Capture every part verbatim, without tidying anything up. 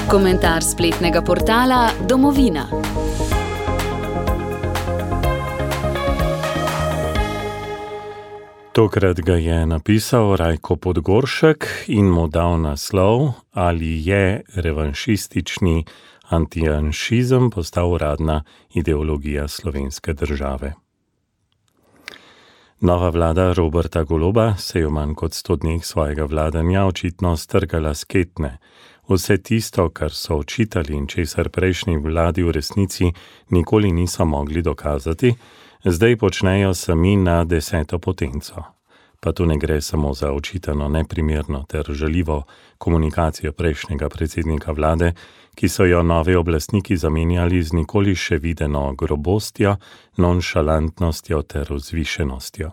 Komentar spletnega portala Domovina. Tokrat ga je napisal Rajko Podgoršek in mu dal naslov: Ali je revanšistični antijanšizem postal uradna ideologija slovenske države. Nova vlada Roberta Goloba se je v manj kot sto dneh svojega vladanja očitno strgala s ketne. Vse tisto, kar so očitali in česar prejšnji vladi v resnici nikoli niso mogli dokazati, zdaj počnejo sami na deseto potenco. Pa tu ne gre samo za očitano neprimerno ter žaljivo komunikacijo prejšnjega predsednika vlade, ki so jo novi oblastniki zamenjali z nikoli še videno grobostjo, nonšalantnostjo ter vzvišenostjo.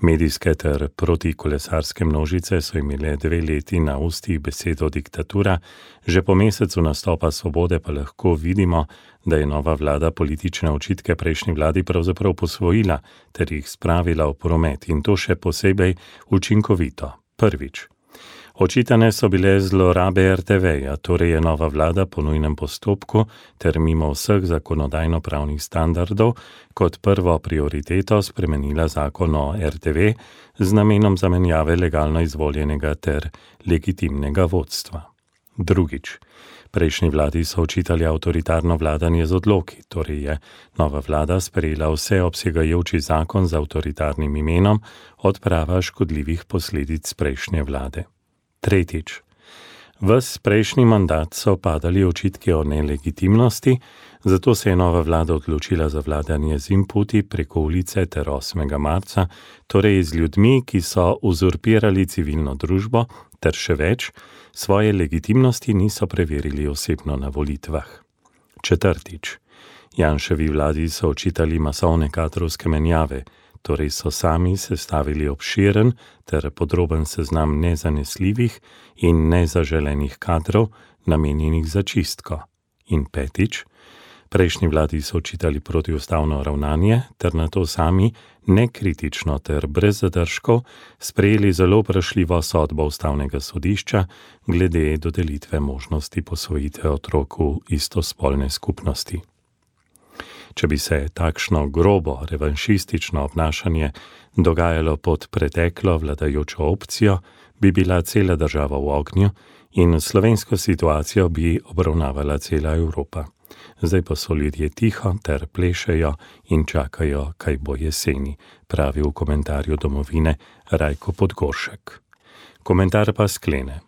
Medijske ter protikolesarske množice so imele dve leti na ustih besedo diktatura, že po mesecu nastopa Svobode pa lahko vidimo, da je nova vlada politične očitke prejšnji vladi pravzaprav posvojila ter jih spravila v promet, in to še posebej učinkovito. Prvič. Očitane so bile zlorabe er te veja, torej je nova vlada po nujnem postopku ter mimo vseh zakonodajno-pravnih standardov kot prvo prioriteto spremenila zakon o er te ve z namenom zamenjave legalno izvoljenega ter legitimnega vodstva. Drugič. Prejšnji vladi so očitali avtoritarno vladanje z odloki, torej je nova vlada sprejela vseobsegajoči zakon z avtoritarnim imenom odprava škodljivih posledic prejšnje vlade. Tretjič. Ves prejšnji mandat so padali očitki o nelegitimnosti, zato se je nova vlada odločila za vladanje z inputi preko ulice ter osmega marca, torej z ljudmi, ki so uzurpirali civilno družbo, ter še več, svoje legitimnosti niso preverili osebno na volitvah. Četrtič. Janševi vladi so očitali masovne kadrovske menjave, torej so sami sestavili obširen ter podroben seznam nezanesljivih in nezaželenih kadrov, namenjenih za čistko. In petič, prejšnji vladi so očitali protiustavno ravnanje ter nato sami nekritično ter brez zadržkov sprejeli zelo vprašljivo sodbo ustavnega sodišča glede dodelitve možnosti posvojitve otrok v istospolne skupnosti. Če bi se takšno grobo, revanšistično obnašanje dogajalo pod preteklo vladajočo opcijo, bi bila cela država v ognju in slovensko situacijo bi obravnavala cela Evropa. Zdaj pa so ljudje tiho ter plešejo in čakajo, kaj bo jeseni, pravi v komentarju Domovine Rajko Podgoršek. Komentar pa sklene.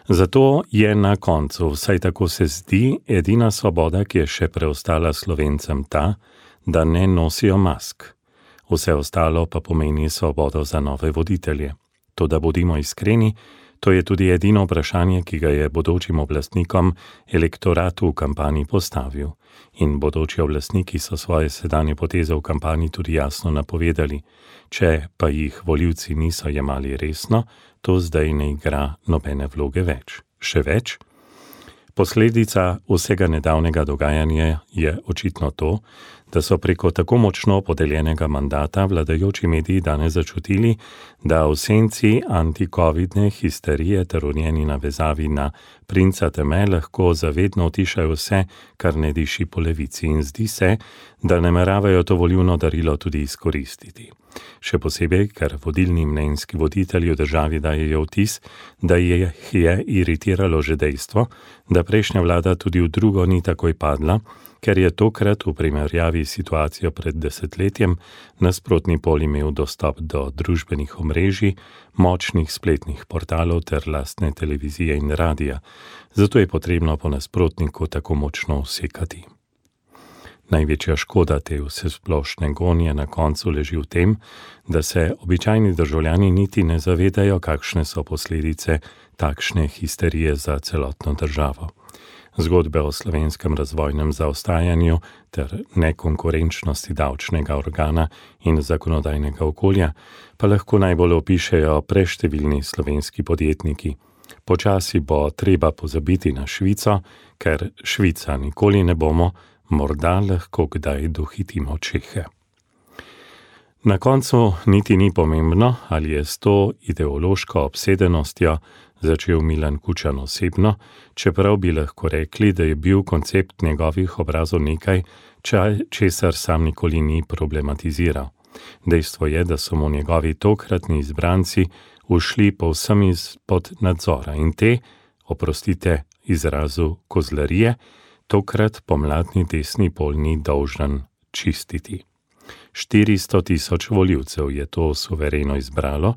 Zato je na koncu, vsaj tako se zdi, edina svoboda, ki je še preostala Slovencem ta, da ne nosijo mask. Vse ostalo pa pomeni svobodo za nove voditelje. Toda bodimo iskreni, to je tudi edino vprašanje, ki ga je bodočim oblastnikom elektoratu v kampanji postavil. In bodoči oblastniki so svoje sedanje poteze v kampanji tudi jasno napovedali. Če pa jih volivci niso jemali resno, to zdaj ne igra nobene vloge več. Še več? Posledica vsega nedavnega dogajanja je očitno to, da so preko tako močno podeljenega mandata vladajoči mediji danes začutili, da v senci antikovidne histerije ter v njeni navezavi na princa teme lahko zavedno utišajo vse, kar ne diši po levici, in zdi se, da nameravajo to volilno darilo tudi izkoristiti. Še posebej, ker vodilni mnenjski voditelji v državi dajejo vtis, da jih je iritiralo že dejstvo, da prejšnja vlada tudi v drugo ni takoj padla, ker je tokrat v primerjavi s situacijo pred desetletjem nasprotni pol imel dostop do družbenih omrežij, močnih spletnih portalov ter lastne televizije in radija, zato je potrebno po nasprotniku tako močno usekati. Največja škoda te vsesplošne gonje na koncu leži v tem, da se običajni državljani niti ne zavedajo, kakšne so posledice takšne histerije za celotno državo. Zgodbe o slovenskem razvojnem zaostajanju ter nekonkurenčnosti davčnega organa in zakonodajnega okolja pa lahko najbolj opišejo preštevilni slovenski podjetniki. Počasi bo treba pozabiti na Švico, ker Švica nikoli ne bomo, morda lahko kdaj dohitimo Čehe. Na koncu niti ni pomembno, ali je s to ideološko obsedenostjo začel Milan Kučan osebno, čeprav bi lahko rekli, da je bil koncept njegovih obrazov nekaj, česar sam nikoli ni problematiziral. Dejstvo je, da so mu njegovi tokratni izbranci ušli povsem izpod nadzora in te, oprostite izrazu kozlarije, tokrat pomladni desni pol ni dolžan čistiti. štiristo tisoč volivcev je to suvereno izbralo,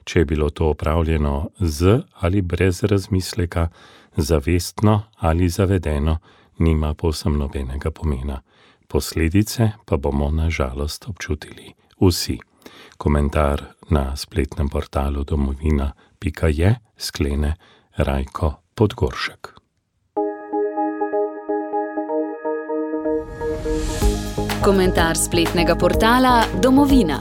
če je bilo to opravljeno z ali brez razmisleka, zavestno ali zavedeno, nima povsem nobenega pomena. Posledice pa bomo na žalost občutili vsi. Komentar na spletnem portalu domovina pika je sklene Rajko Podgoršek. Komentar spletnega portala Domovina.